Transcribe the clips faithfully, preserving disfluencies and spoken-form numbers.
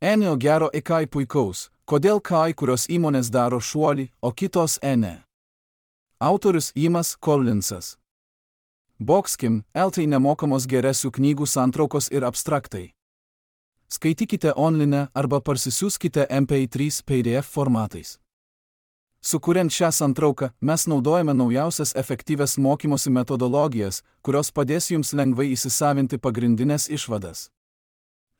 Enio gero į kai puikaus, kodėl kai kurios įmonės daro šuolį, o kitos ene. Autorius Jimas Collinsas. Boxkim, eltai nemokamos geresių knygų santraukos ir abstraktai. Skaitykite online arba parsisiųskite em pe trys pe de ef formatais. Sukuriant šią santrauką, mes naudojame naujausias efektyvias mokymosi metodologijas, kurios padės jums lengvai įsisavinti pagrindinės išvadas.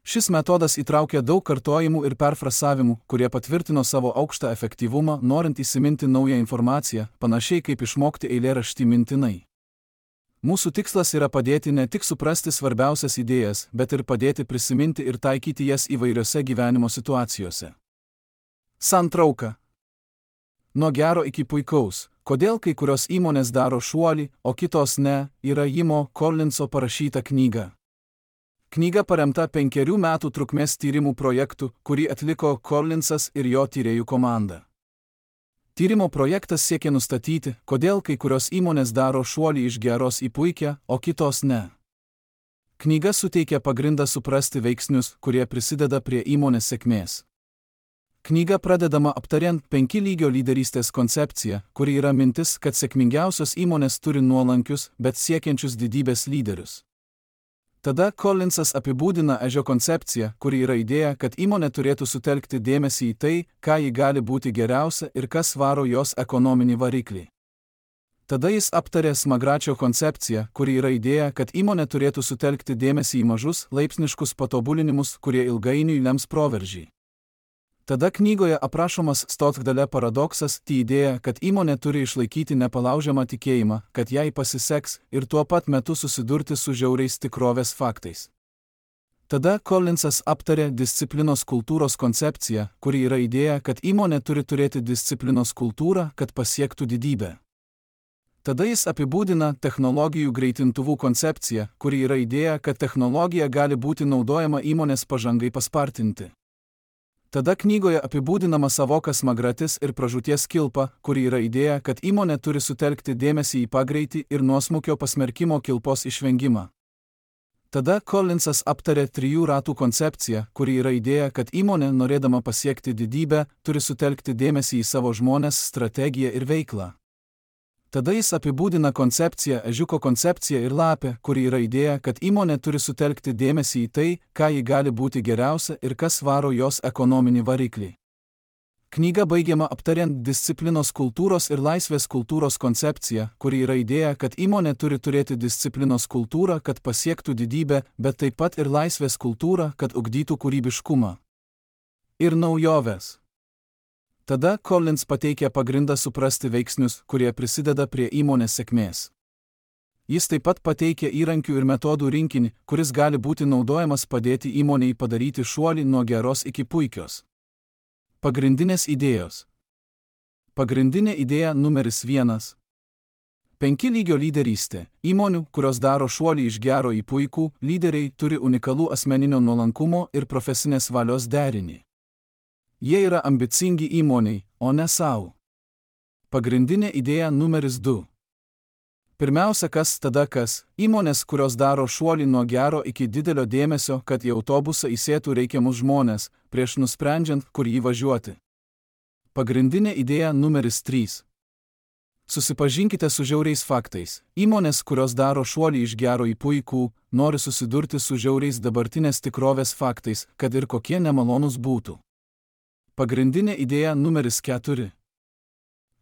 Šis metodas įtraukia daug kartojimų ir perfrasavimų, kurie patvirtino savo aukštą efektyvumą, norint įsiminti naują informaciją, panašiai kaip išmokti eilėraštį mintinai. Mūsų tikslas yra padėti ne tik suprasti svarbiausias idėjas, bet ir padėti prisiminti ir taikyti jas įvairiose gyvenimo situacijose. Santrauka. Nuo gero iki puikaus, kodėl kai kurios įmonės daro šuolį, o kitos ne, yra Jimo Collinso parašyta knyga. Knyga paremta penkerių metų trukmės tyrimų projektu, kurį atliko Collinsas ir jo tyrėjų komanda. Tyrimo projektas siekia nustatyti, kodėl kai kurios įmonės daro šuolį iš geros į puikią, o kitos ne. Knyga suteikia pagrindą suprasti veiksnius, kurie prisideda prie įmonės sėkmės. Knyga pradedama aptariant penki lygio lyderystės koncepciją, kuri yra mintis, kad sėkmingiausios įmonės turi nuolankius, bet siekiančius didybės lyderius. Tada Collinsas apibūdina ežio koncepciją, kuri yra idėja, kad įmonė turėtų sutelkti dėmesį į tai, ką ji gali būti geriausia ir kas varo jos ekonominį variklį. Tada jis aptarė smagračio koncepciją, kuri yra idėja, kad įmonė turėtų sutelkti dėmesį į mažus, laipsniškus patobulinimus, kurie ilgainiui lems proveržį. Tada knygoje aprašomas Stotgdale paradoksas, tai idėja, kad įmonė turi išlaikyti nepalaužiamą tikėjimą, kad jai pasiseks ir tuo pat metu susidurti su žiauriais tikrovės faktais. Tada Collinsas aptarė disciplinos kultūros koncepciją, kuri yra idėja, kad įmonė turi turėti disciplinos kultūrą, kad pasiektų didybę. Tada jis apibūdina technologijų greitintuvų koncepciją, kuri yra idėja, kad technologija gali būti naudojama įmonės pažangai paspartinti. Tada knygoje apibūdinama savoka smagratis ir pražūties kilpa, kuri yra idėja, kad įmonė turi sutelkti dėmesį į pagreitį ir nuosmukio pasmerkimo kilpos išvengimą. Tada Collinsas aptarė trijų ratų koncepciją, kuri yra idėja, kad įmonė, norėdama pasiekti didybę, turi sutelkti dėmesį į savo žmones, strategiją ir veiklą. Tada jis apibūdina koncepciją, ežiuko koncepciją ir lapę, kuri yra idėja, kad įmonė turi sutelkti dėmesį į tai, ką ji gali būti geriausia ir kas varo jos ekonominį variklį. Knyga baigiama aptariant disciplinos kultūros ir laisvės kultūros koncepciją, kuri yra idėja, kad įmonė turi turėti disciplinos kultūrą, kad pasiektų didybę, bet taip pat ir laisvės kultūrą, kad ugdytų kūrybiškumą ir naujoves. Tada Collins pateikia pagrindą suprasti veiksnius, kurie prisideda prie įmonės sėkmės. Jis taip pat pateikia įrankių ir metodų rinkinį, kuris gali būti naudojamas padėti įmonei padaryti šuolį nuo geros iki puikios. Pagrindinės idėjos. Pagrindinė idėja numeris vienas. Penki lygio lyderystė. Įmonių, kurios daro šuolį iš gero į puikų, lyderiai turi unikalų asmeninio nuolankumo ir profesinės valios derinį. Jie yra ambicingi įmoniai, o ne savo. Pagrindinė idėja numeris du. Pirmiausia, kas tada kas, įmonės, kurios daro šuolį nuo gero iki didelio dėmesio, kad į autobusą įsėtų reikiamus žmonės, prieš nusprendžiant, kur jį važiuoti. Pagrindinė idėja numeris trys. Susipažinkite su žiauriais faktais. Įmonės, kurios daro šuolį iš gero į puikų, nori susidurti su žiauriais dabartinės tikrovės faktais, kad ir kokie nemalonūs būtų. Pagrindinė idėja numeris keturi.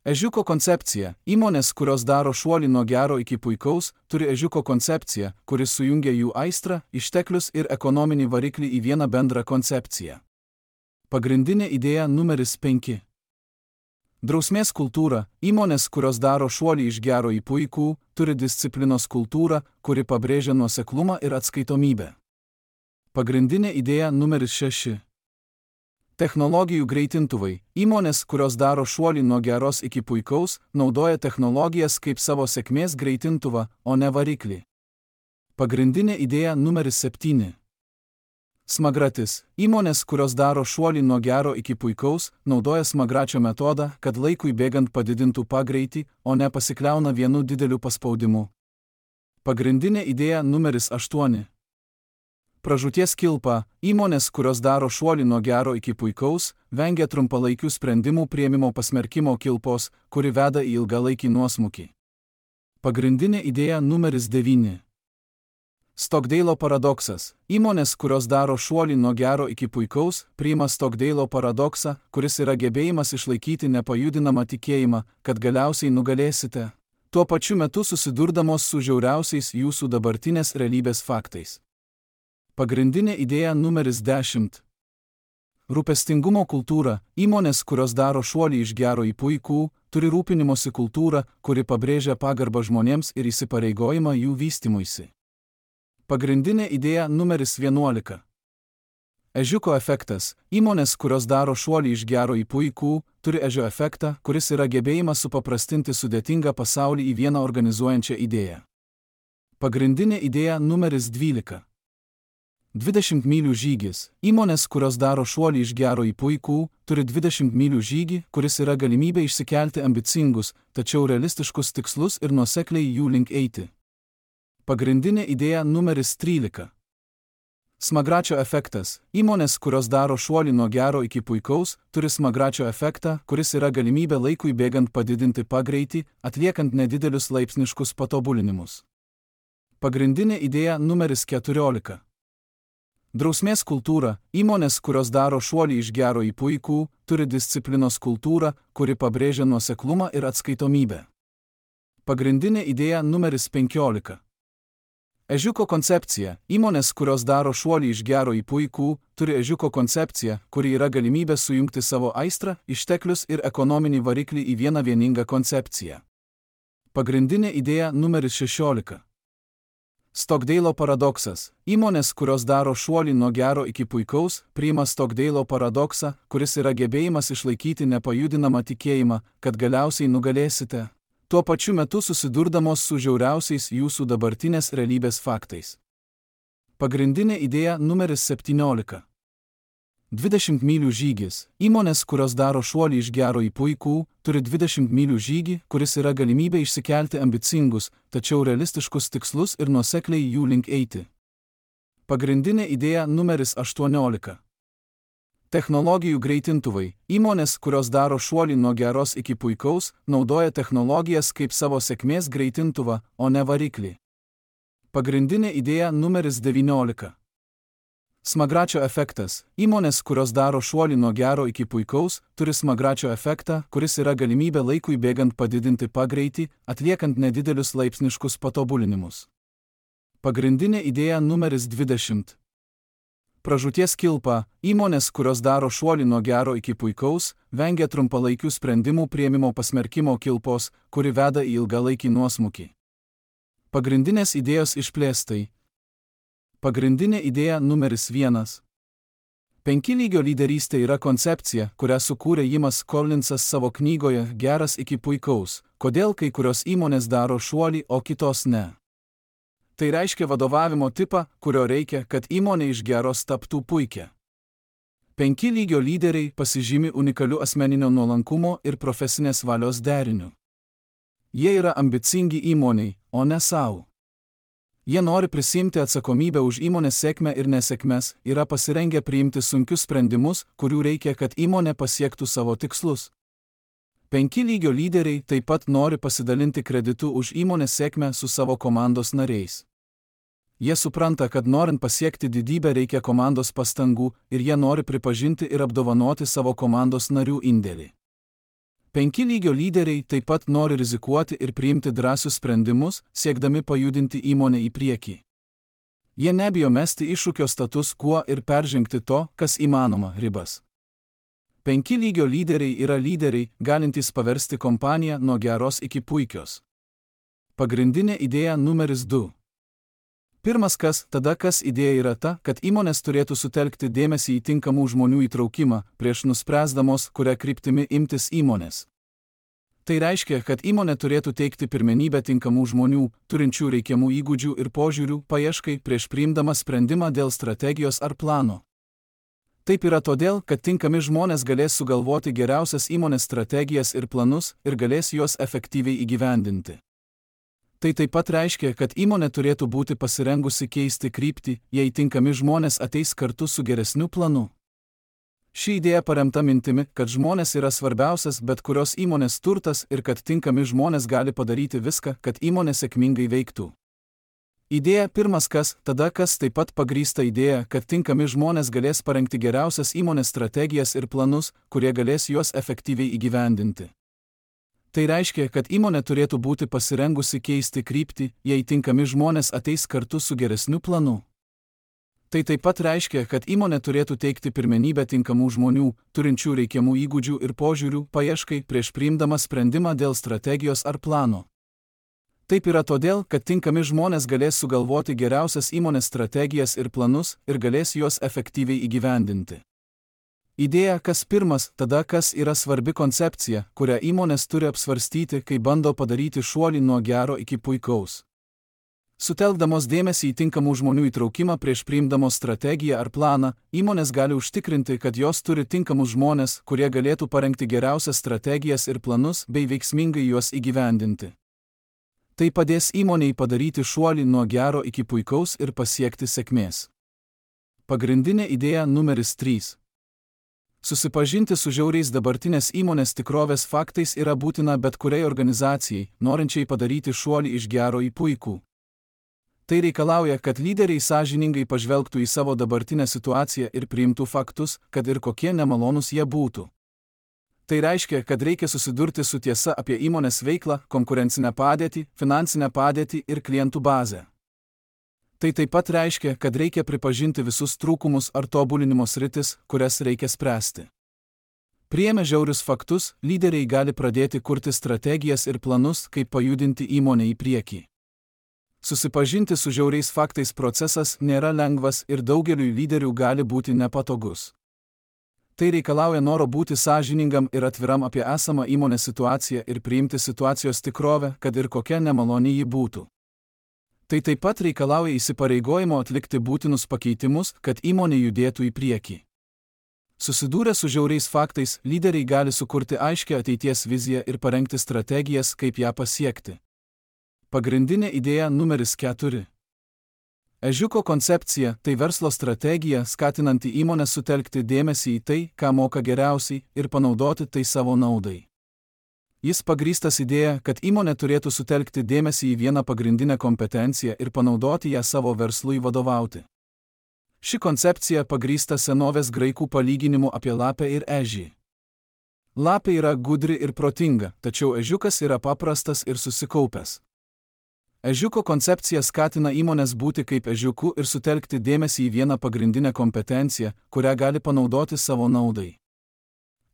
Ežiuko koncepcija. Įmonės, kurios daro šuolį nuo gero iki puikaus, turi ežiuko koncepciją, kuris sujungia jų aistrą, išteklius ir ekonominį variklį į vieną bendrą koncepciją. Pagrindinė idėja numeris penki. Drausmės kultūra. Įmonės, kurios daro šuolį iš gero į puikų, turi disciplinos kultūrą, kuri pabrėžia nuoseklumą ir atskaitomybę. Pagrindinė idėja numeris šeši. Technologijų greitintuvai. Įmonės, kurios daro šuolį nuo geros iki puikaus, naudoja technologijas kaip savo sėkmės greitintuvą, o ne variklį. Pagrindinė idėja numeris septyni. Smagratis. Įmonės, kurios daro šuolį nuo gero iki puikaus, naudoja smagračio metodą, kad laikui bėgant padidintų pagreitį, o ne pasikliauna vienu dideliu paspaudimu. Pagrindinė idėja numeris aštuoni. Pražūties kilpa – įmonės, kurios daro šuolį nuo gero iki puikaus, vengia trumpalaikių sprendimų priėmimo pasmerkimo kilpos, kuri veda į ilgalaikį nuosmukį. Pagrindinė idėja numeris devyni. Stokdeilo paradoksas – įmonės, kurios daro šuolį nuo gero iki puikaus, priima Stokdeilo paradoksą, kuris yra gebėjimas išlaikyti nepajudinamą tikėjimą, kad galiausiai nugalėsite, tuo pačiu metu susidurdamos su žiauriausiais jūsų dabartinės realybės faktais. Pagrindinė idėja numeris dešimt. Rūpestingumo kultūra – įmonės, kurios daro šuolį iš gero į puikų, turi rūpinimosi kultūrą, kuri pabrėžia pagarbą žmonėms ir įsipareigojimą jų vystymuisi. Pagrindinė idėja numeris vienuolika. Ežiuko efektas – įmonės, kurios daro šuolį iš gero į puikų, turi ežio efektą, kuris yra gebėjimas supaprastinti sudėtingą pasaulį į vieną organizuojančią idėją. Pagrindinė idėja numeris dvylika. dvidešimt mylių žygis – įmonės, kurios daro šuolį iš gero į puikų, turi dvidešimt mylių žygį, kuris yra galimybė išsikelti ambicingus, tačiau realistiškus tikslus ir nuosekliai jų link eiti. Pagrindinė idėja numeris trylika. Smagračio efektas – įmonės, kurios daro šuolį nuo gero iki puikaus, turi smagračio efektą, kuris yra galimybė laikui bėgant padidinti pagreitį, atliekant nedidelius laipsniškus patobulinimus. Pagrindinė idėja numeris keturiolika. Drausmės kultūra – įmonės, kurios daro šuolį iš gero į puikų, turi disciplinos kultūrą, kuri pabrėžia nuoseklumą ir atskaitomybę. Pagrindinė idėja numeris penkiolika. Ežiuko koncepcija – įmonės, kurios daro šuolį iš gero į puikų, turi ežiuko koncepciją, kuri yra galimybė sujungti savo aistrą, išteklius ir ekonominį variklį į vieną vieningą koncepciją. Pagrindinė idėja numeris šešiolika. Stokdeilo paradoksas – įmonės, kurios daro šuolį nuo gero iki puikaus, priima Stokdeilo paradoksą, kuris yra gebėjimas išlaikyti nepajudinamą tikėjimą, kad galiausiai nugalėsite, tuo pačiu metu susidurdamos su žiauriausiais jūsų dabartinės realybės faktais. Pagrindinė idėja numeris septyniolika. dvidešimt mylių žygis – įmonės, kurios daro šuolį iš gero į puikų, turi dvidešimt mylių žygį, kuris yra galimybė išsikelti ambicingus, tačiau realistiškus tikslus ir nuosekliai jų link eiti. Pagrindinė idėja numeris aštuoniolika. Technologijų greitintuvai – įmonės, kurios daro šuolį nuo geros iki puikaus, naudoja technologijas kaip savo sėkmės greitintuvą, o ne variklį. Pagrindinė idėja numeris devyniolika. Smagračio efektas – įmonės, kurios daro šuolį nuo gero iki puikaus, turi smagračio efektą, kuris yra galimybė laikui bėgant padidinti pagreitį, atliekant nedidelius laipsniškus patobulinimus. Pagrindinė idėja numeris dvidešimt. Pražūties kilpa – įmonės, kurios daro šuolį nuo gero iki puikaus, vengia trumpalaikių sprendimų priėmimo pasmerkimo kilpos, kuri veda į ilgalaikį nuosmukį. Pagrindinės idėjos išplėstai. Pagrindinė idėja numeris vienas. Penki lygio lyderystė yra koncepcija, kurią sukūrė Jimas Collinsas savo knygoje Geras iki puikaus, kodėl kai kurios įmonės daro šuolį, o kitos ne. Tai reiškia vadovavimo tipą, kurio reikia, kad įmonė iš geros taptų puikia. Penki lygio lyderiai pasižymi unikaliu asmeninio nuolankumo ir profesinės valios deriniu. Jie yra ambicingi įmoniai, o ne savo. Jie nori prisimti atsakomybę už įmonės sėkmę ir nesėkmes, yra pasirengę priimti sunkius sprendimus, kurių reikia, kad įmonė pasiektų savo tikslus. Penki lygio lyderiai taip pat nori pasidalinti kreditu už įmonės sėkmę su savo komandos nariais. Jie supranta, kad norint pasiekti didybę reikia komandos pastangų ir jie nori pripažinti ir apdovanoti savo komandos narių indėlį. Penki lygio lyderiai taip pat nori rizikuoti ir priimti drąsius sprendimus, siekdami pajudinti įmonę į priekį. Jie nebijo mesti iššūkio status quo ir peržengti to, kas įmanoma, ribas. Penki lygio lyderiai yra lyderiai, galintys paversti kompaniją nuo geros iki puikios. Pagrindinė idėja numeris du. Pirmas kas, tada kas idėja yra ta, kad įmonės turėtų sutelkti dėmesį į tinkamų žmonių įtraukimą, prieš nuspręsdamos, kuria kryptimi imtis įmonės. Tai reiškia, kad įmonė turėtų teikti pirmenybę tinkamų žmonių, turinčių reikiamų įgūdžių ir požiūrių, paieškai prieš priimdama sprendimą dėl strategijos ar plano. Taip yra todėl, kad tinkami žmonės galės sugalvoti geriausias įmonės strategijas ir planus ir galės juos efektyviai įgyvendinti. Tai taip pat reiškia, kad įmonė turėtų būti pasirengusi keisti kryptį, jei tinkami žmonės ateis kartu su geresniu planu. Ši idėja paremta mintimi, kad žmonės yra svarbiausias bet kurios įmonės turtas ir kad tinkami žmonės gali padaryti viską, kad įmonė sėkmingai veiktų. Idėja pirmas kas, tada kas taip pat pagrįsta idėja, kad tinkami žmonės galės parengti geriausias įmonės strategijas ir planus, kurie galės juos efektyviai įgyvendinti. Tai reiškia, kad įmonė turėtų būti pasirengusi keisti kryptį, jei tinkami žmonės ateis kartu su geresniu planu. Tai taip pat reiškia, kad įmonė turėtų teikti pirmenybę tinkamų žmonių, turinčių reikiamų įgūdžių ir požiūrių, paieškai prieš priimdama sprendimą dėl strategijos ar plano. Taip yra todėl, kad tinkami žmonės galės sugalvoti geriausias įmonės strategijas ir planus ir galės juos efektyviai įgyvendinti. Idėja kas pirmas, tada kas yra svarbi koncepcija, kurią įmonės turi apsvarstyti, kai bando padaryti šuolį nuo gero iki puikaus. Sutelkdamos dėmesį į tinkamų žmonių įtraukimą prieš priimdamos strategiją ar planą, įmonės gali užtikrinti, kad jos turi tinkamus žmonės, kurie galėtų parengti geriausias strategijas ir planus bei veiksmingai juos įgyvendinti. Tai padės įmonei padaryti šuolį nuo gero iki puikaus ir pasiekti sėkmės. Pagrindinė idėja numeris trys. Susipažinti su žiauriais dabartinės įmonės tikrovės faktais yra būtina bet kuriai organizacijai, norinčiai padaryti šuolį iš gero į puikų. Tai reikalauja, kad lyderiai sąžiningai pažvelgtų į savo dabartinę situaciją ir priimtų faktus, kad ir kokie nemalonūs jie būtų. Tai reiškia, kad reikia susidurti su tiesa apie įmonės veiklą, konkurencinę padėtį, finansinę padėtį ir klientų bazę. Tai taip pat reiškia, kad reikia pripažinti visus trūkumus ar tobulinimo sritis, kurias reikia spręsti. Priėmę žiaurius faktus, lyderiai gali pradėti kurti strategijas ir planus, kaip pajudinti įmonę į priekį. Susipažinti su žiauriais faktais procesas nėra lengvas ir daugeliui lyderių gali būti nepatogus. Tai reikalauja noro būti sąžiningam ir atviram apie esamą įmonės situaciją ir priimti situacijos tikrovę, kad ir kokia nemaloni ji būtų. Tai taip pat reikalauja įsipareigojimo atlikti būtinus pakeitimus, kad įmonė judėtų į priekį. Susidūrę su žiauriais faktais, lyderiai gali sukurti aiškią ateities viziją ir parengti strategijas, kaip ją pasiekti. Pagrindinė idėja numeris keturi. Ežiuko koncepcija – tai verslo strategija, skatinanti įmonę sutelkti dėmesį į tai, ką moka geriausiai, ir panaudoti tai savo naudai. Jis pagrįstas idėja, kad įmonė turėtų sutelkti dėmesį į vieną pagrindinę kompetenciją ir panaudoti ją savo verslui vadovauti. Ši koncepcija pagrįsta senovės graikų palyginimu apie lapę ir ežį. Lapė yra gudri ir protinga, tačiau ežiukas yra paprastas ir susikaupęs. Ežiuko koncepcija skatina įmonės būti kaip ežiuku ir sutelkti dėmesį į vieną pagrindinę kompetenciją, kurią gali panaudoti savo naudai.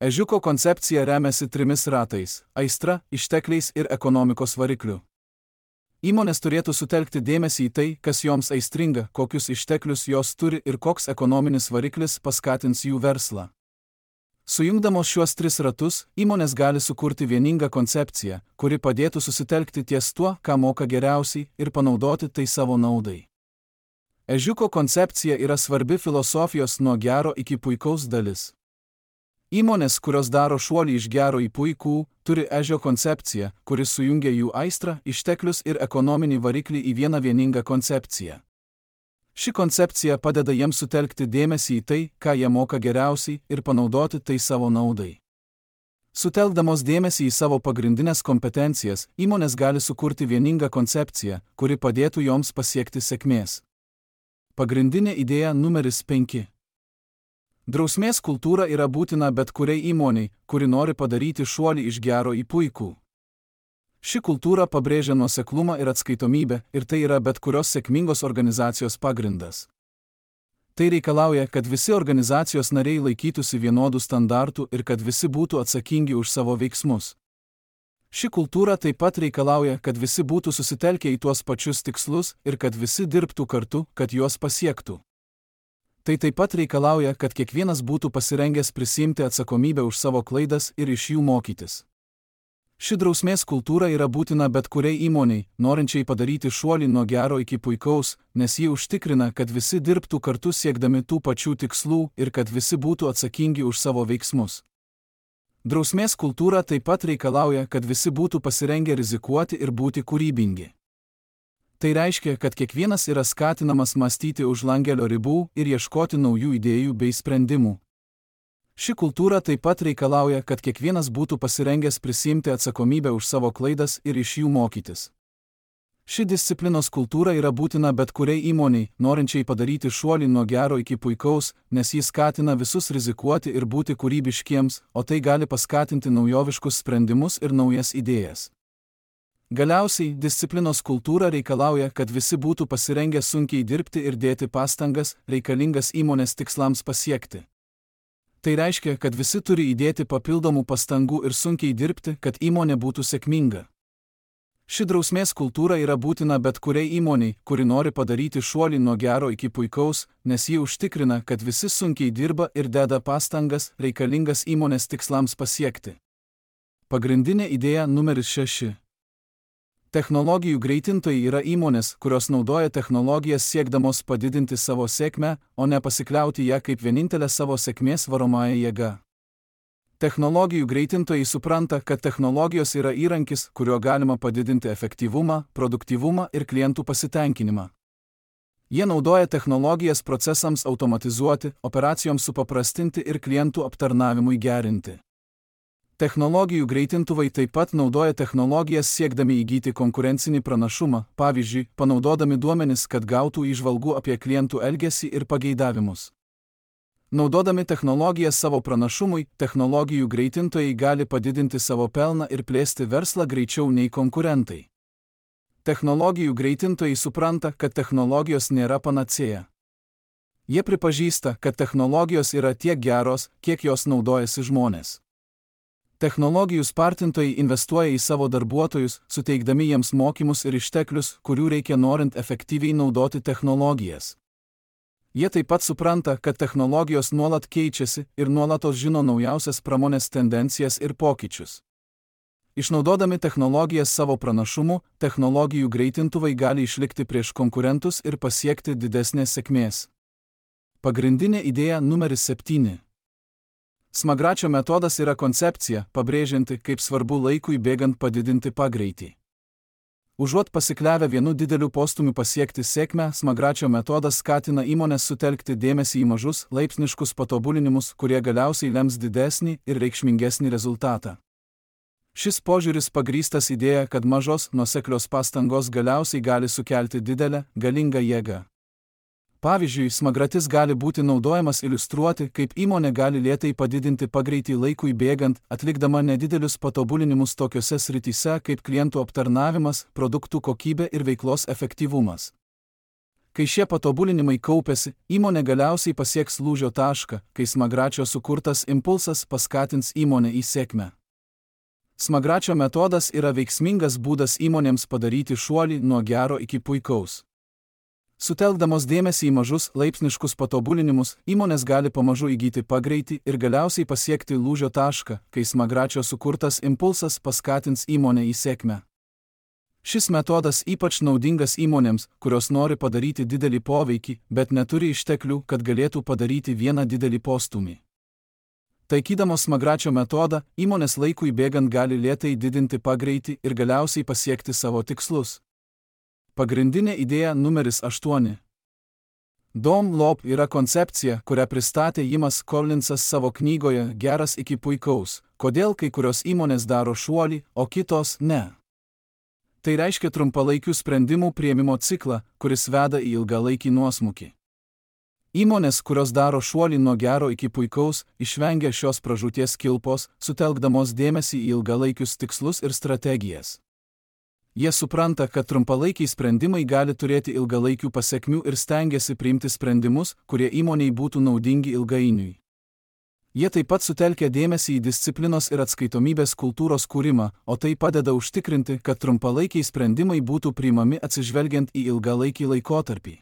Ežiuko koncepcija remiasi trimis ratais – aistra, ištekliais ir ekonomikos varikliu. Įmonės turėtų sutelkti dėmesį į tai, kas joms aistringa, kokius išteklius jos turi ir koks ekonominis variklis paskatins jų verslą. Sujungdamos šiuos tris ratus, įmonės gali sukurti vieningą koncepciją, kuri padėtų susitelkti ties tuo, ką moka geriausiai, ir panaudoti tai savo naudai. Ežiuko koncepcija yra svarbi filosofijos nuo gero iki puikaus dalis. Įmonės, kurios daro šuolį iš gero į puikų, turi ežio koncepciją, kuris sujungia jų aistrą, išteklius ir ekonominį variklį į vieną vieningą koncepciją. Ši koncepcija padeda jiems sutelkti dėmesį į tai, ką jie moka geriausiai, ir panaudoti tai savo naudai. Sutelkdamos dėmesį į savo pagrindinės kompetencijas, įmonės gali sukurti vieningą koncepciją, kuri padėtų joms pasiekti sėkmės. Pagrindinė idėja numeris penki. Drausmės kultūra yra būtina bet kuriai įmoniai, kuri nori padaryti šuolį iš gero į puikų. Ši kultūra pabrėžia nuoseklumą ir atskaitomybę, ir tai yra bet kurios sėkmingos organizacijos pagrindas. Tai reikalauja, kad visi organizacijos nariai laikytųsi vienodų standartų ir kad visi būtų atsakingi už savo veiksmus. Ši kultūra taip pat reikalauja, kad visi būtų susitelkę į tuos pačius tikslus ir kad visi dirbtų kartu, kad juos pasiektų. Tai taip pat reikalauja, kad kiekvienas būtų pasirengęs prisiimti atsakomybę už savo klaidas ir iš jų mokytis. Ši drausmės kultūra yra būtina bet kuriai įmoniai, norinčiai padaryti šuolį nuo gero iki puikaus, nes ji užtikrina, kad visi dirbtų kartu siekdami tų pačių tikslų ir kad visi būtų atsakingi už savo veiksmus. Drausmės kultūra taip pat reikalauja, kad visi būtų pasirengę rizikuoti ir būti kūrybingi. Tai reiškia, kad kiekvienas yra skatinamas mąstyti už langelio ribų ir ieškoti naujų idėjų bei sprendimų. Ši kultūra taip pat reikalauja, kad kiekvienas būtų pasirengęs prisiimti atsakomybę už savo klaidas ir iš jų mokytis. Ši disciplinos kultūra yra būtina bet kuriai įmoniai, norinčiai padaryti šuolį nuo gero iki puikaus, nes jis skatina visus rizikuoti ir būti kūrybiškiems, o tai gali paskatinti naujoviškus sprendimus ir naujas idėjas. Galiausiai, disciplinos kultūra reikalauja, kad visi būtų pasirengę sunkiai dirbti ir dėti pastangas, reikalingas įmonės tikslams pasiekti. Tai reiškia, kad visi turi įdėti papildomų pastangų ir sunkiai dirbti, kad įmonė būtų sėkminga. Ši drausmės kultūra yra būtina bet kuriai įmoniai, kuri nori padaryti šuolį nuo gero iki puikaus, nes ji užtikrina, kad visi sunkiai dirba ir deda pastangas, reikalingas įmonės tikslams pasiekti. Pagrindinė idėja numeris šeši. Technologijų greitintojai yra įmonės, kurios naudoja technologijas siekdamos padidinti savo sėkmę, o ne pasikliauti ją kaip vienintelę savo sėkmės varomąją jėgą. Technologijų greitintojai supranta, kad technologijos yra įrankis, kuriuo galima padidinti efektyvumą, produktyvumą ir klientų pasitenkinimą. Jie naudoja technologijas procesams automatizuoti, operacijoms supaprastinti ir klientų aptarnavimui gerinti. Technologijų greitintuvai taip pat naudoja technologijas siekdami įgyti konkurencinį pranašumą, pavyzdžiui, panaudodami duomenis, kad gautų įžvalgų apie klientų elgesį ir pageidavimus. Naudodami technologijas savo pranašumui, technologijų greitintojai gali padidinti savo pelną ir plėsti verslą greičiau nei konkurentai. Technologijų greitintojai supranta, kad technologijos nėra panacėja. Jie pripažįsta, kad technologijos yra tiek geros, kiek jos naudojasi žmonės. Technologijų spartintojai investuoja į savo darbuotojus, suteikdami jiems mokymus ir išteklius, kurių reikia norint efektyviai naudoti technologijas. Jie taip pat supranta, kad technologijos nuolat keičiasi ir nuolatos žino naujausias pramonės tendencijas ir pokyčius. Išnaudodami technologijas savo pranašumu, technologijų greitintuvai gali išlikti prieš konkurentus ir pasiekti didesnės sėkmės. Pagrindinė idėja numeris septyni. Smagračio metodas yra koncepcija, pabrėžianti, kaip svarbu laikui bėgant padidinti pagreitį. Užuot pasikliavę vienu dideliu postūmiu pasiekti sėkmę, Smagračio metodas skatina įmonės sutelkti dėmesį į mažus, laipsniškus patobulinimus, kurie galiausiai lems didesnį ir reikšmingesnį rezultatą. Šis požiūris pagrįstas idėja, kad mažos, nuoseklios pastangos galiausiai gali sukelti didelę, galingą jėgą. Pavyzdžiui, smagratis gali būti naudojamas iliustruoti, kaip įmonė gali lėtai padidinti pagreitį laikui bėgant, atlikdama nedidelius patobulinimus tokiose srityse kaip klientų aptarnavimas, produktų kokybė ir veiklos efektyvumas. Kai šie patobulinimai kaupiasi, įmonė galiausiai pasieks lūžio tašką, kai Smagračio sukurtas impulsas paskatins įmonę į sėkmę. Smagračio metodas yra veiksmingas būdas įmonėms padaryti šuolį nuo gero iki puikaus. Sutelkdamos dėmesį į mažus, laipsniškus patobulinimus, įmonės gali pamažu įgyti pagreitį ir galiausiai pasiekti lūžio tašką, kai Smagračio sukurtas impulsas paskatins įmonę į sėkmę. Šis metodas ypač naudingas įmonėms, kurios nori padaryti didelį poveikį, bet neturi išteklių, kad galėtų padaryti vieną didelį postūmį. Taikydamos Smagračio metodą, įmonės laikui bėgant gali lėtai didinti pagreitį ir galiausiai pasiekti savo tikslus. Pagrindinė idėja numeris aštuoni. Dom Lob yra koncepcija, kurią pristatė Jimas Collinsas savo knygoje Geras iki puikaus, kodėl kai kurios įmonės daro šuolį, o kitos ne. Tai reiškia trumpalaikių sprendimų priėmimo ciklą, kuris veda į ilgalaikį nuosmukį. Įmonės, kurios daro šuolį nuo gero iki puikaus, išvengia šios pražūties kilpos, sutelkdamos dėmesį į ilgalaikius tikslus ir strategijas. Jie supranta, kad trumpalaikiai sprendimai gali turėti ilgalaikių pasekmių ir stengiasi priimti sprendimus, kurie įmonei būtų naudingi ilgainiui. Jie taip pat sutelkia dėmesį į disciplinos ir atskaitomybės kultūros kūrimą, o tai padeda užtikrinti, kad trumpalaikiai sprendimai būtų priimami atsižvelgiant į ilgalaikį laikotarpį.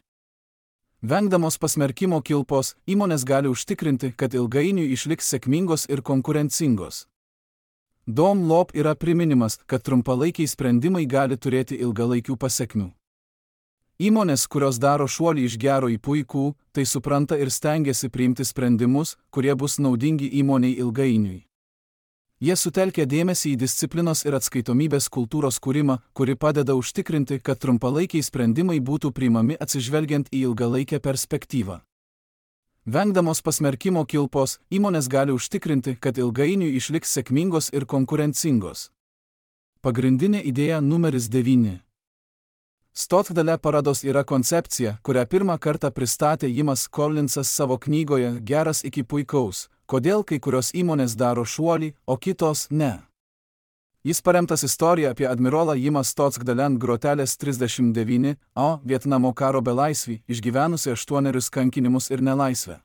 Vengdamos pasmerkimo kilpos, įmonės gali užtikrinti, kad ilgainiui išliks sėkmingos ir konkurencingos. Dom Lob yra priminimas, kad trumpalaikiai sprendimai gali turėti ilgalaikių pasekmių. Įmonės, kurios daro šuolį iš gero į puikų, tai supranta ir stengiasi priimti sprendimus, kurie bus naudingi įmoniai ilgainiui. Jie sutelkia dėmesį į disciplinos ir atskaitomybės kultūros kūrimą, kuri padeda užtikrinti, kad trumpalaikiai sprendimai būtų priimami atsižvelgiant į ilgalaikę perspektyvą. Vengdamos pasmerkimo kilpos, įmonės gali užtikrinti, kad ilgainiui išliks sėkmingos ir konkurencingos. Pagrindinė idėja numeris devyni. Stotgdale parados yra koncepcija, kurią pirmą kartą pristatė Jimas Collinsas savo knygoje Geras iki puikaus, kodėl kai kurios įmonės daro šuolį, o kitos ne. Jis paremtas istorija apie admirolą Jimą Stotgdale ant grotelės trisdešimt devyni, o Vietnamo karo belaisvį, išgyvenusi aštuonerius kankinimus ir nelaisvę.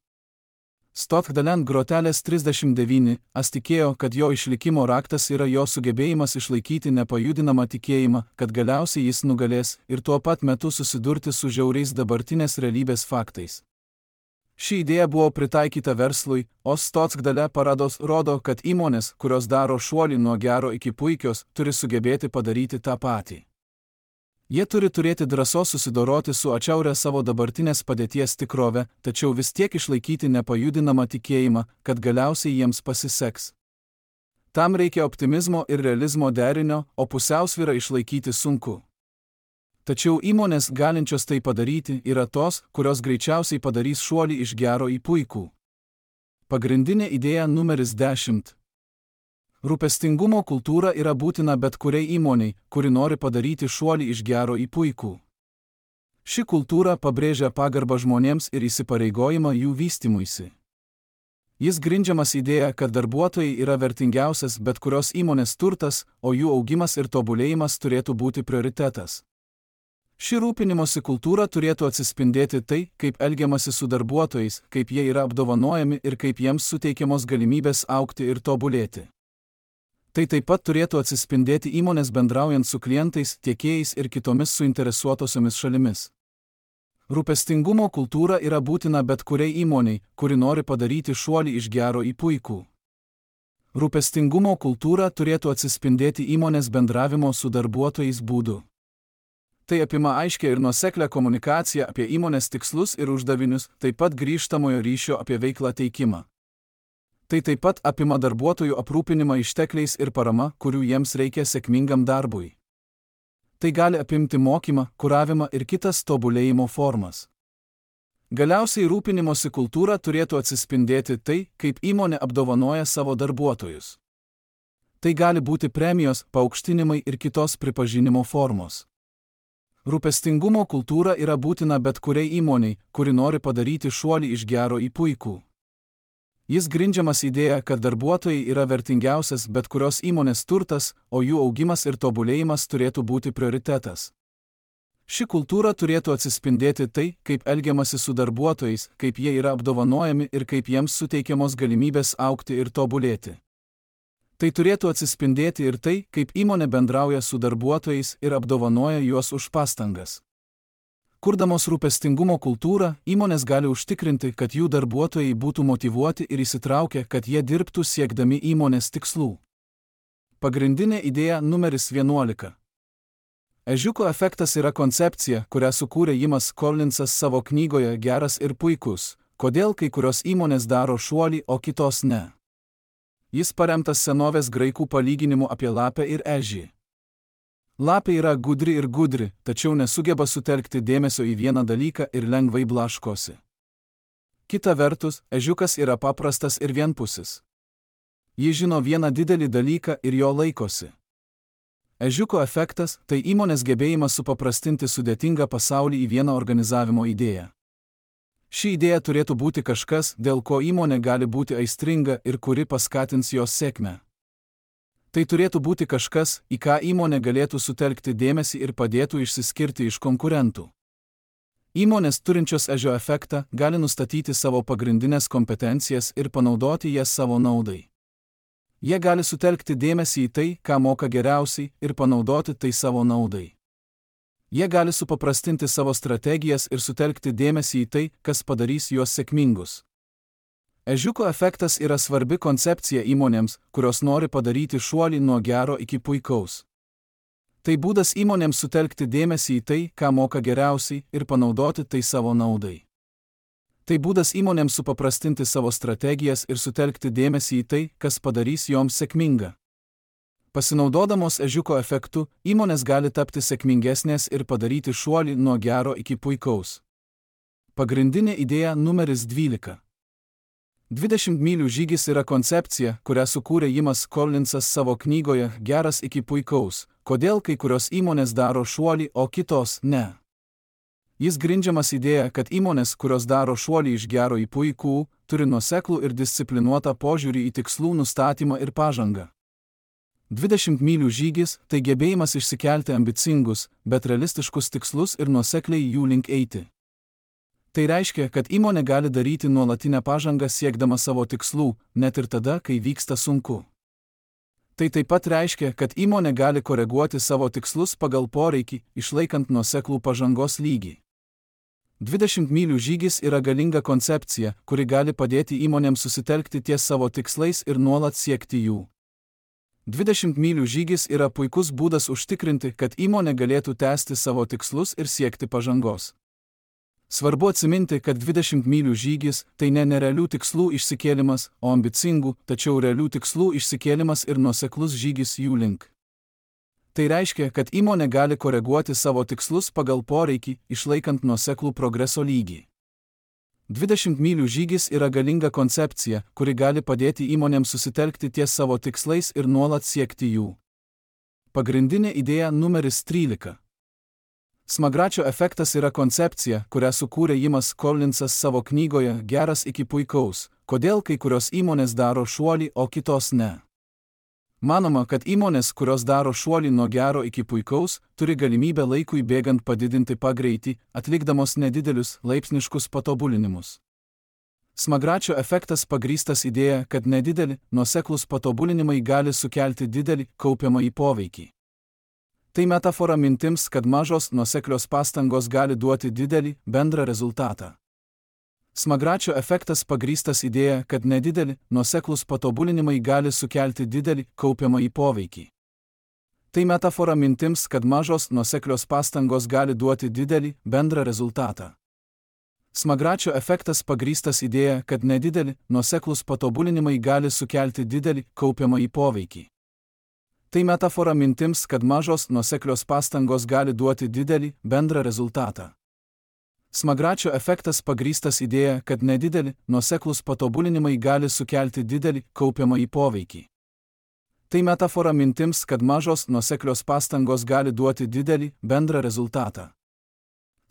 Stotgdale ant grotelės trisdešimt devyni, as tikėjo, kad jo išlikimo raktas yra jo sugebėjimas išlaikyti nepajudinamą tikėjimą, kad galiausiai jis nugalės ir tuo pat metu susidurti su žiauriais dabartinės realybės faktais. Ši idėja buvo pritaikyta verslui, o Stotgdale parados rodo, kad įmonės, kurios daro šuolį nuo gero iki puikios, turi sugebėti padaryti tą patį. Jie turi turėti drąsos susidoroti su atšiauria savo dabartinės padėties tikrove, tačiau vis tiek išlaikyti nepajudinamą tikėjimą, kad galiausiai jiems pasiseks. Tam reikia optimizmo ir realizmo derinio, o pusiausvyrą išlaikyti sunku. Tačiau įmonės galinčios tai padaryti yra tos, kurios greičiausiai padarys šuolį iš gero į puikų. Pagrindinė idėja numeris dešimt. Rūpestingumo kultūra yra būtina bet kuriai įmoniai, kuri nori padaryti šuolį iš gero į puikų. Ši kultūra pabrėžia pagarbą žmonėms ir įsipareigojimą jų vystymuisi. Jis grindžiamas idėja, kad darbuotojai yra vertingiausias bet kurios įmonės turtas, o jų augimas ir tobulėjimas turėtų būti prioritetas. Ši rūpinimosi kultūra turėtų atsispindėti tai, kaip elgiamasi su darbuotojais, kaip jie yra apdovanojami ir kaip jiems suteikiamos galimybės augti ir tobulėti. Tai taip pat turėtų atsispindėti įmonės bendraujant su klientais, tiekėjais ir kitomis suinteresuotosiomis šalimis. Rūpestingumo kultūra yra būtina bet kuriai įmoniai, kuri nori padaryti šuolį iš gero į puikų. Rūpestingumo kultūra turėtų atsispindėti įmonės bendravimo su darbuotojais būdu. Tai apima aiškią ir nuoseklę komunikaciją apie įmonės tikslus ir uždavinius, taip pat grįžtamojo ryšio apie veiklą teikimą. Tai taip pat apima darbuotojų aprūpinimą ištekliais ir parama, kurių jiems reikia sėkmingam darbui. Tai gali apimti mokymą, kuravimą ir kitas tobulėjimo formas. Galiausiai rūpinimosi kultūra turėtų atsispindėti tai, kaip įmonė apdovanoja savo darbuotojus. Tai gali būti premijos, paaukštinimai ir kitos pripažinimo formos. Rūpestingumo kultūra yra būtina bet kuriai įmoniai, kuri nori padaryti šuolį iš gero į puikų. Jis grindžiamas idėja, kad darbuotojai yra vertingiausias bet kurios įmonės turtas, o jų augimas ir tobulėjimas turėtų būti prioritetas. Ši kultūra turėtų atsispindėti tai, kaip elgiamasi su darbuotojais, kaip jie yra apdovanojami ir kaip jiems suteikiamos galimybės augti ir tobulėti. Tai turėtų atsispindėti ir tai, kaip įmonė bendrauja su darbuotojais ir apdovanoja juos už pastangas. Kurdamos rūpestingumo kultūrą, įmonės gali užtikrinti, kad jų darbuotojai būtų motyvuoti ir įsitraukę, kad jie dirbtų siekdami įmonės tikslų. Pagrindinė idėja numeris vienuolika. Ežiuko efektas yra koncepcija, kurią sukūrė Jimas Collinsas savo knygoje Geras ir puikus, kodėl kai kurios įmonės daro šuolį, o kitos ne. Jis paremtas senovės graikų palyginimu apie lapę ir ežį. Lapė yra gudri ir gudri, tačiau nesugeba sutelkti dėmesio į vieną dalyką ir lengvai blaškosi. Kita vertus, ežiukas yra paprastas ir vienpusis. Ji žino vieną didelį dalyką ir jo laikosi. Ežiuko efektas – tai įmonės gebėjimas supaprastinti sudėtingą pasaulį į vieną organizavimo idėją. Ši idėja turėtų būti kažkas, dėl ko įmonė gali būti aistringa ir kuri paskatins jos sėkmę. Tai turėtų būti kažkas, į ką įmonė galėtų sutelkti dėmesį ir padėtų išsiskirti iš konkurentų. Įmonės turinčios ežio efektą gali nustatyti savo pagrindinės kompetencijas ir panaudoti jas savo naudai. Jie gali sutelkti dėmesį į tai, ką moka geriausiai, ir panaudoti tai savo naudai. Jie gali supaprastinti savo strategijas ir sutelkti dėmesį į tai, kas padarys juos sėkmingus. Ežiuko efektas yra svarbi koncepcija įmonėms, kurios nori padaryti šuolį nuo gero iki puikaus. Tai būdas įmonėms sutelkti dėmesį į tai, ką moka geriausiai, ir panaudoti tai savo naudai. Tai būdas įmonėms supaprastinti savo strategijas ir sutelkti dėmesį į tai, kas padarys joms sėkmingą. Pasinaudodamos ežiuko efektu, įmonės gali tapti sėkmingesnės ir padaryti šuolį nuo gero iki puikaus. Pagrindinė idėja numeris dvylika. dvidešimt mylių žygis yra koncepcija, kurią sukūrė Jimas Collinsas savo knygoje Geras iki puikaus, kodėl kai kurios įmonės daro šuolį, o kitos ne. Jis grindžiamas idėja, kad įmonės, kurios daro šuolį iš gero į puikų, turi nuoseklų ir disciplinuotą požiūrį į tikslų nustatymą ir pažangą. dvidešimt mylių žygis – tai gebėjimas išsikelti ambicingus, bet realistiškus tikslus ir nuosekliai jų link eiti. Tai reiškia, kad įmonė gali daryti nuolatinę pažangą siekdama savo tikslų, net ir tada, kai vyksta sunku. Tai taip pat reiškia, kad įmonė gali koreguoti savo tikslus pagal poreikį, išlaikant nuoseklų pažangos lygį. dvidešimt mylių žygis yra galinga koncepcija, kuri gali padėti įmonėms susitelkti ties savo tikslais ir nuolat siekti jų. dvidešimt mylių žygis yra puikus būdas užtikrinti, kad įmonė galėtų tęsti savo tikslus ir siekti pažangos. Svarbu atsiminti, kad dvidešimt mylių žygis – tai ne nerealių tikslų išsikėlimas, o ambicingų, tačiau realių tikslų išsikėlimas ir nuoseklus žygis jų link. Tai reiškia, kad įmonė gali koreguoti savo tikslus pagal poreikį, išlaikant nuoseklų progreso lygį. dvidešimt mylių žygis yra galinga koncepcija, kuri gali padėti įmonėms susitelkti ties savo tikslais ir nuolat siekti jų. Pagrindinė idėja numeris trylika. Smagračio efektas yra koncepcija, kurią sukūrė Jimas Collinsas savo knygoje Geras iki puikaus, kodėl kai kurios įmonės daro šuolį, o kitos ne. Manoma, kad įmonės, kurios daro šuolį nuo gero iki puikaus, turi galimybę laikui bėgant padidinti pagreitį, atlikdamos nedidelius, laipsniškus patobulinimus. Smagračio efektas pagrįstas idėja, kad nedideli, nuoseklūs patobulinimai gali sukelti didelį, kaupiamąjį poveikį. Tai metafora mintims, kad mažos, nuoseklios pastangos gali duoti didelį, bendrą rezultatą. Smagračio efektas pagrįstas idėja, kad nedideli, nuoseklūs patobulinimai gali sukelti didelį, kaupiamąjį poveikį. Tai metafora mintims, kad mažos, nuoseklios pastangos gali duoti didelį, bendrą rezultatą. Smagračio efektas pagrįstas idėja, kad nedideli, nuoseklūs patobulinimai gali sukelti didelį, kaupiamąjį poveikį. Tai metafora mintims, kad mažos, nuoseklios pastangos gali duoti didelį, bendrą rezultatą. Smagračio efektas pagrįstas idėja, kad nedideli, nuoseklūs patobulinimai gali sukelti didelį, kaupiamąjį poveikį. Tai metafora mintims, kad mažos, nuoseklios pastangos gali duoti didelį, bendrą rezultatą.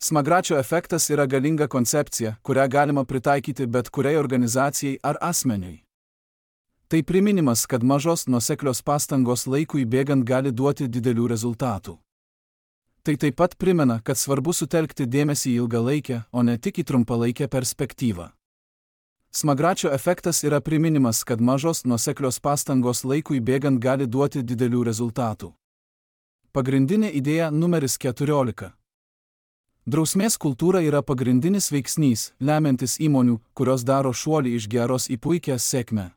Smagračio efektas yra galinga koncepcija, kurią galima pritaikyti bet kuriai organizacijai ar asmeniui. Tai priminimas, kad mažos, nuoseklios pastangos laikui bėgant gali duoti didelių rezultatų. Tai taip pat primena, kad svarbu sutelkti dėmesį į ilgalaikę, o ne tik į trumpalaikę perspektyvą. Smagračio efektas yra priminimas, kad mažos, nuoseklios pastangos laikui bėgant gali duoti didelių rezultatų. Pagrindinė idėja numeris keturiolika. Drausmės kultūra yra pagrindinis veiksnys, lemiantis įmonių, kurios daro šuolį iš geros į puikią sėkmę.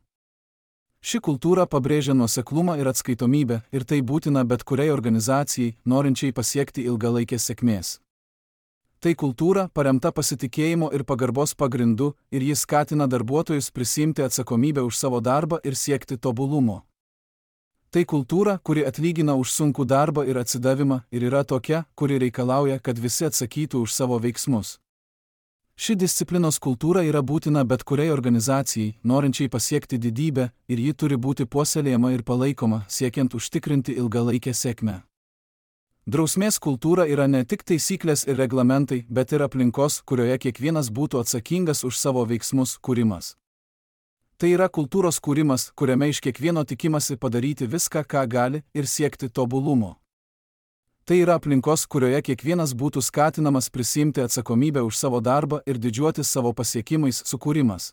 Ši kultūra pabrėžia nuoseklumą ir atskaitomybę, ir tai būtina bet kuriai organizacijai, norinčiai pasiekti ilgalaikės sėkmės. Tai kultūra, paremta pasitikėjimo ir pagarbos pagrindu, ir jis skatina darbuotojus prisiimti atsakomybę už savo darbą ir siekti tobulumo. Tai kultūra, kuri atlygina už sunkų darbą ir atsidavimą, ir yra tokia, kuri reikalauja, kad visi atsakytų už savo veiksmus. Ši disciplinos kultūra yra būtina bet kuriai organizacijai, norinčiai pasiekti didybę, ir ji turi būti puoselėjama ir palaikoma, siekiant užtikrinti ilgalaikę sėkmę. Drausmės kultūra yra ne tik taisyklės ir reglamentai, bet ir aplinkos, kurioje kiekvienas būtų atsakingas už savo veiksmus, kūrimas. Tai yra kultūros kūrimas, kuriame iš kiekvieno tikimasi padaryti viską, ką gali, ir siekti tobulumo. Tai yra aplinkos, kurioje kiekvienas būtų skatinamas prisiimti atsakomybę už savo darbą ir didžiuotis savo pasiekimais sukūrimas.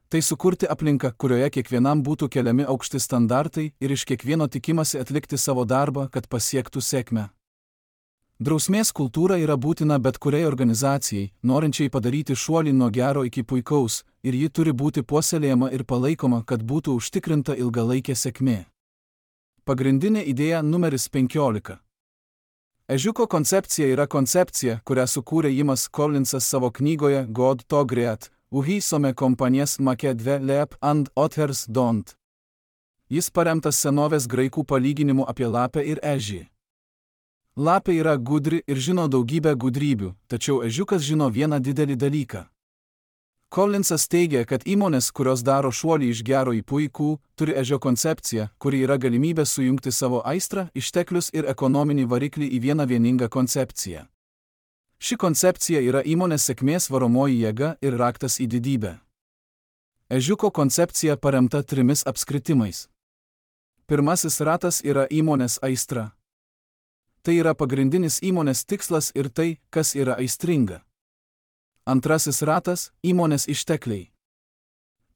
Tai sukurti aplinką, kurioje kiekvienam būtų keliami aukšti standartai ir iš kiekvieno tikimasi atlikti savo darbą, kad pasiektų sėkmę. Drausmės kultūra yra būtina bet kuriai organizacijai, norinčiai padaryti šuolį nuo gero iki puikaus, ir ji turi būti puoselėjama ir palaikoma, kad būtų užtikrinta ilgalaikė sėkmė. Pagrindinė idėja numeris penkiolika. Ežiuko koncepcija yra koncepcija, kurią sukūrė Jimas Collinsas savo knygoje God to Great, Uhisome kompanijas make dve lep and others don't. Jis paremtas senovės graikų palyginimu apie lapę ir ežį. Lapė yra gudri ir žino daugybę gudrybių, tačiau ežiukas žino vieną didelį dalyką. Collinsas teigia, kad įmonės, kurios daro šuolį iš gero į puikų, turi ežio koncepciją, kuri yra galimybė sujungti savo aistrą, išteklius ir ekonominį variklį į vieną vieningą koncepciją. Ši koncepcija yra įmonės sėkmės varomoji jėga ir raktas į didybę. Ežiuko koncepcija paremta trimis apskritimais. Pirmasis ratas yra įmonės aistra. Tai yra pagrindinis įmonės tikslas ir tai, kas yra aistringa. Antrasis ratas – įmonės ištekliai.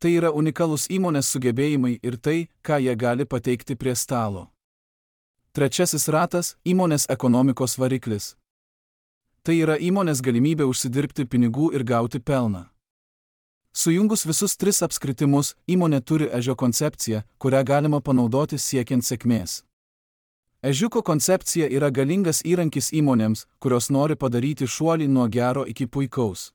Tai yra unikalūs įmonės sugebėjimai ir tai, ką jie gali pateikti prie stalo. Trečiasis ratas – įmonės ekonomikos variklis. Tai yra įmonės galimybė užsidirbti pinigų ir gauti pelną. Sujungus visus tris apskritimus, įmonė turi ežio koncepciją, kurią galima panaudoti siekiant sėkmės. Ežiuko koncepcija yra galingas įrankis įmonėms, kurios nori padaryti šuolį nuo gero iki puikaus.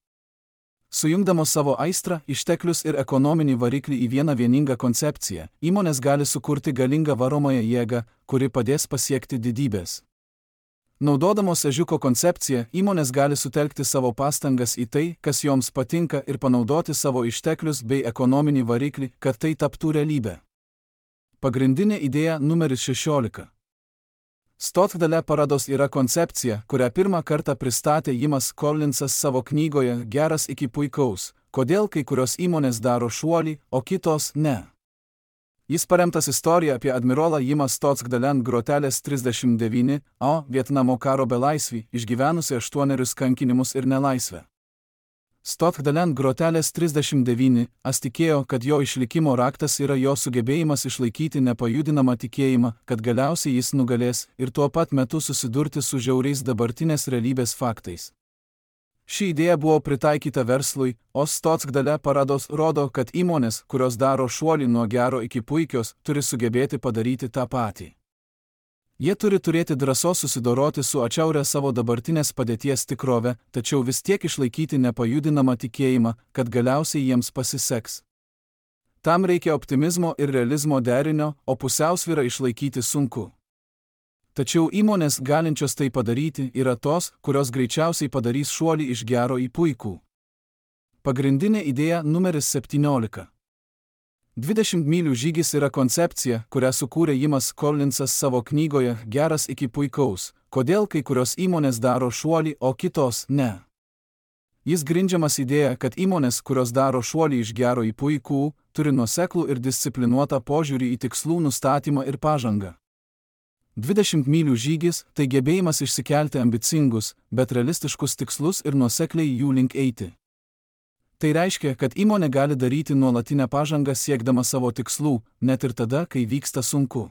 Sujungdamos savo aistrą, išteklius ir ekonominį variklį į vieną vieningą koncepciją, įmonės gali sukurti galingą varomąją jėgą, kuri padės pasiekti didybės. Naudodamos ežiuko koncepciją, įmonės gali sutelkti savo pastangas į tai, kas joms patinka ir panaudoti savo išteklius bei ekonominį variklį, kad tai taptų realybė. Pagrindinė idėja numeris šešiolika. Stothdale parados yra koncepcija, kurią pirmą kartą pristatė Jimas Collinsas savo knygoje Geras iki puikaus, kodėl kai kurios įmonės daro šuolį, o kitos ne. Jis paremtas istorija apie admirolą Jimą Stothdalen grotelės trisdešimt devyni A Vietnamo karo belaisvį, išgyvenusi aštuonerius kankinimus ir nelaisvę. Stothdalen grotelės trisdešimt devyni A tikėjo, kad jo išlikimo raktas yra jo sugebėjimas išlaikyti nepajudinamą tikėjimą, kad galiausiai jis nugalės ir tuo pat metu susidurti su žiauriais dabartinės realybės faktais. Ši idėja buvo pritaikyta verslui, o Stothdale parados rodo, kad įmonės, kurios daro šuolį nuo gero iki puikios, turi sugebėti padaryti tą patį. Jie turi turėti drąsos susidoroti su atšiauria savo dabartinės padėties tikrove, tačiau vis tiek išlaikyti nepajudinamą tikėjimą, kad galiausiai jiems pasiseks. Tam reikia optimizmo ir realizmo derinio, o pusiausvyrą išlaikyti sunku. Tačiau įmonės galinčios tai padaryti yra tos, kurios greičiausiai padarys šuolį iš gero į puikų. Pagrindinė idėja numeris septyniolika. dvidešimt mylių žygis yra koncepcija, kurią sukūrė Jimas Collinsas savo knygoje Geras iki puikaus, kodėl kai kurios įmonės daro šuolį, o kitos ne. Jis grindžiamas idėja, kad įmonės, kurios daro šuolį iš gero į puikų, turi nuoseklų ir disciplinuotą požiūrį į tikslų nustatymą ir pažangą. dvidešimt mylių žygis – tai gebėjimas išsikelti ambicingus, bet realistiškus tikslus ir nuosekliai jų link eiti. Tai reiškia, kad įmonė gali daryti nuolatinę pažangą siekdama savo tikslų, net ir tada, kai vyksta sunku.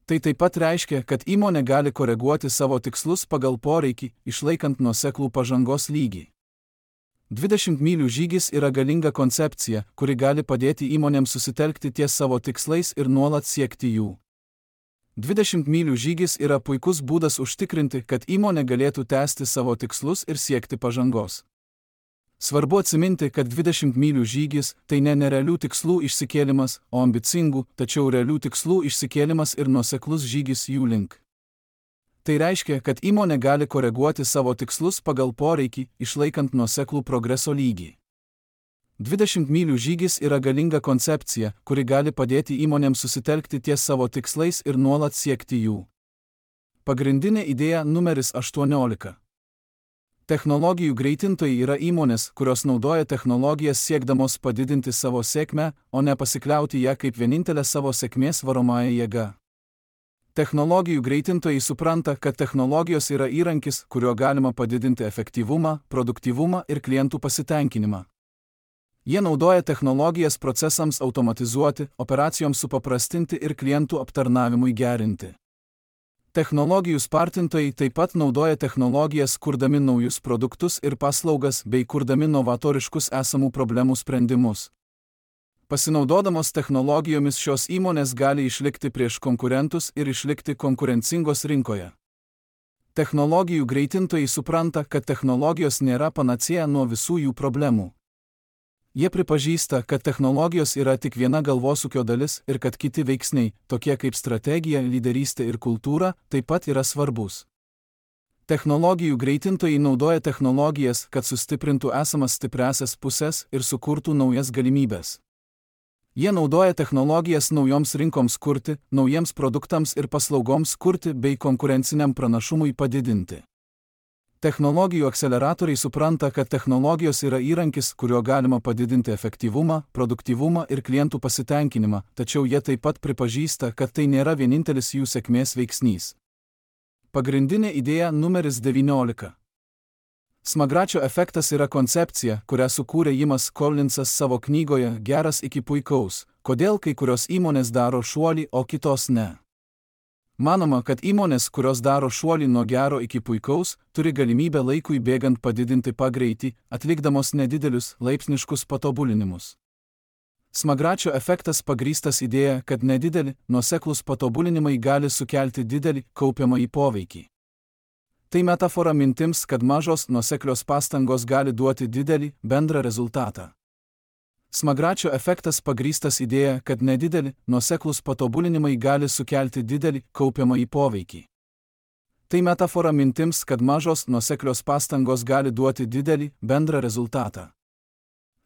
Tai taip pat reiškia, kad įmonė gali koreguoti savo tikslus pagal poreikį, išlaikant nuoseklų pažangos lygį. dvidešimt mylių žygis yra galinga koncepcija, kuri gali padėti įmonėms susitelkti ties savo tikslais ir nuolat siekti jų. dvidešimt mylių žygis yra puikus būdas užtikrinti, kad įmonė galėtų tęsti savo tikslus ir siekti pažangos. Svarbu atsiminti, kad dvidešimt mylių žygis – tai ne nerealių tikslų išsikėlimas, o ambicingų, tačiau realių tikslų išsikėlimas ir nuoseklus žygis jų link. Tai reiškia, kad įmonė gali koreguoti savo tikslus pagal poreikį, išlaikant nuoseklų progreso lygį. dvidešimt mylių žygis yra galinga koncepcija, kuri gali padėti įmonėms susitelkti ties savo tikslais ir nuolat siekti jų. Pagrindinė idėja numeris aštuoniolika. Technologijų greitintojai yra įmonės, kurios naudoja technologijas siekdamos padidinti savo sėkmę, o ne pasikliauti ją kaip vienintelę savo sėkmės varomąją jėgą. Technologijų greitintojai supranta, kad technologijos yra įrankis, kuriuo galima padidinti efektyvumą, produktyvumą ir klientų pasitenkinimą. Jie naudoja technologijas procesams automatizuoti, operacijoms supaprastinti ir klientų aptarnavimui gerinti. Technologijų spartintojai taip pat naudoja technologijas kurdami naujus produktus ir paslaugas bei kurdami novatoriškus esamų problemų sprendimus. Pasinaudodamos technologijomis šios įmonės gali išlikti prieš konkurentus ir išlikti konkurencingos rinkoje. Technologijų greitintojai supranta, kad technologijos nėra panacėja nuo visų jų problemų. Jie pripažįsta, kad technologijos yra tik viena galvosūkio dalis ir kad kiti veiksniai, tokie kaip strategija, lyderystė ir kultūra, taip pat yra svarbus. Technologijų greitintojai naudoja technologijas, kad sustiprintų esamas stipriąsias puses ir sukurtų naujas galimybes. Jie naudoja technologijas naujoms rinkoms kurti, naujiems produktams ir paslaugoms kurti bei konkurenciniam pranašumui padidinti. Technologijų akceleratoriai supranta, kad technologijos yra įrankis, kuriuo galima padidinti efektyvumą, produktyvumą ir klientų pasitenkinimą, tačiau jie taip pat pripažįsta, kad tai nėra vienintelis jų sėkmės veiksnys. Pagrindinė idėja numeris devyniolika. Smagračio efektas yra koncepcija, kurią sukūrė Jimas Collinsas savo knygoje Geras iki puikaus, kodėl kai kurios įmonės daro šuolį, o kitos ne. Manoma, kad įmonės, kurios daro šuolį nuo gero iki puikaus, turi galimybę laikui bėgant padidinti pagreitį, atlikdamos nedidelius, laipsniškus patobulinimus. Smagračio efektas pagrįstas idėja, kad nedideli, nuoseklūs patobulinimai gali sukelti didelį, kaupiamąjį poveikį. Tai metafora mintims, kad mažos, nuoseklios pastangos gali duoti didelį, bendrą rezultatą. Smagračio efektas pagrįstas idėja, kad nedideli, nuoseklūs patobulinimai gali sukelti didelį, kaupiamąjį poveikį. Tai metafora mintims, kad mažos, nuoseklios pastangos gali duoti didelį, bendrą rezultatą.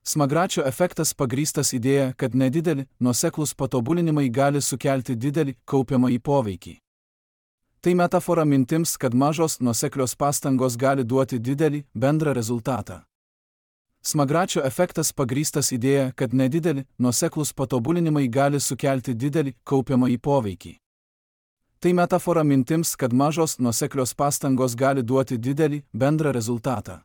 Smagračio efektas pagrįstas idėja, kad nedideli, nuoseklūs patobulinimai gali sukelti didelį, kaupiamąjį poveikį. Tai metafora mintims, kad mažos, nuoseklios pastangos gali duoti didelį, bendrą rezultatą. Smagračio efektas pagrįstas idėja, kad nedideli, nuoseklūs patobulinimai gali sukelti didelį, kaupiamąjį poveikį. Tai metafora mintims, kad mažos, nuoseklios pastangos gali duoti didelį, bendrą rezultatą.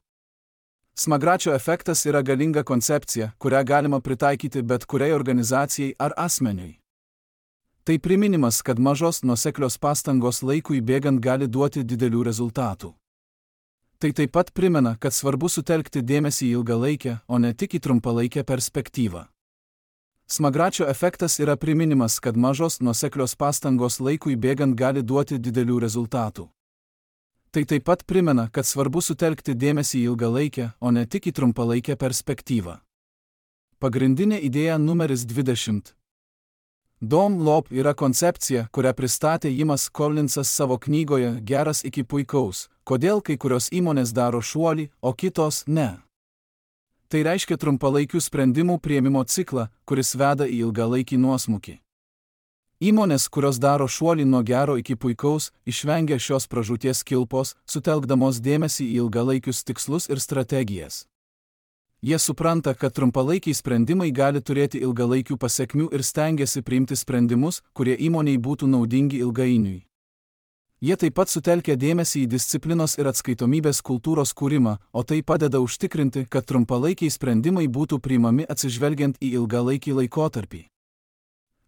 Smagračio efektas yra galinga koncepcija, kurią galima pritaikyti bet kuriai organizacijai ar asmeniui. Tai priminimas, kad mažos, nuoseklios pastangos laikui bėgant gali duoti didelių rezultatų. Tai taip pat primena, kad svarbu sutelkti dėmesį į ilgalaikę, o ne tik į trumpalaikę perspektyvą. Smagračio efektas yra priminimas, kad mažos, nuoseklios pastangos laikui bėgant gali duoti didelių rezultatų. Tai taip pat primena, kad svarbu sutelkti dėmesį į ilgalaikę, o ne tik į trumpalaikę perspektyvą. Pagrindinė idėja numeris dvidešimt. Dom Lob yra koncepcija, kurią pristatė Jimas Collinsas savo knygoje Geras iki puikaus, kodėl kai kurios įmonės daro šuolį, o kitos ne. Tai reiškia trumpalaikių sprendimų priėmimo ciklą, kuris veda į ilgalaikį nuosmukį. Įmonės, kurios daro šuolį nuo gero iki puikaus, išvengia šios pražūties kilpos, sutelkdamos dėmesį į ilgalaikius tikslus ir strategijas. Jie supranta, kad trumpalaikiai sprendimai gali turėti ilgalaikių pasekmių ir stengiasi priimti sprendimus, kurie įmonei būtų naudingi ilgainiui. Jie taip pat sutelkia dėmesį į disciplinos ir atskaitomybės kultūros kūrimą, o tai padeda užtikrinti, kad trumpalaikiai sprendimai būtų priimami atsižvelgiant į ilgalaikį laikotarpį.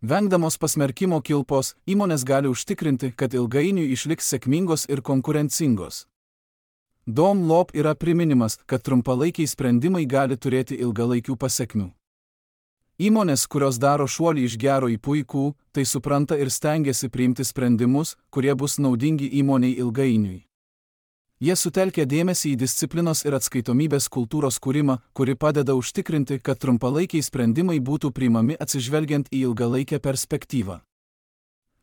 Vengdamos pasmerkimo kilpos, įmonės gali užtikrinti, kad ilgainiui išliks sėkmingos ir konkurencingos. Dom Lob yra priminimas, kad trumpalaikiai sprendimai gali turėti ilgalaikių pasekmių. Įmonės, kurios daro šuolį iš gero į puikų, tai supranta ir stengiasi priimti sprendimus, kurie bus naudingi įmoniai ilgainiui. Jie sutelkia dėmesį į disciplinos ir atskaitomybės kultūros kūrimą, kuri padeda užtikrinti, kad trumpalaikiai sprendimai būtų priimami atsižvelgiant į ilgalaikę perspektyvą.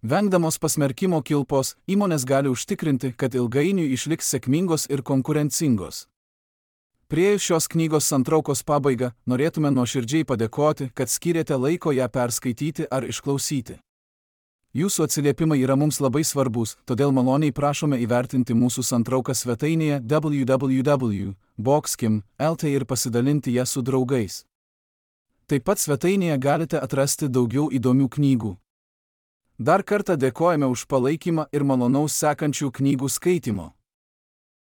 Vengdamos pasmerkimo kilpos, įmonės gali užtikrinti, kad ilgainiui išliks sėkmingos ir konkurencingos. Priėjus šios knygos santraukos pabaigą, norėtume nuoširdžiai padėkoti, kad skyrėte laiko ją perskaityti ar išklausyti. Jūsų atsiliepimai yra mums labai svarbus, todėl maloniai prašome įvertinti mūsų santrauką svetainėje w w w taškas boxkim taškas l t ir pasidalinti ją su draugais. Taip pat svetainėje galite atrasti daugiau įdomių knygų. Dar kartą dėkojame už palaikymą ir malonaus sekančių knygų skaitimo.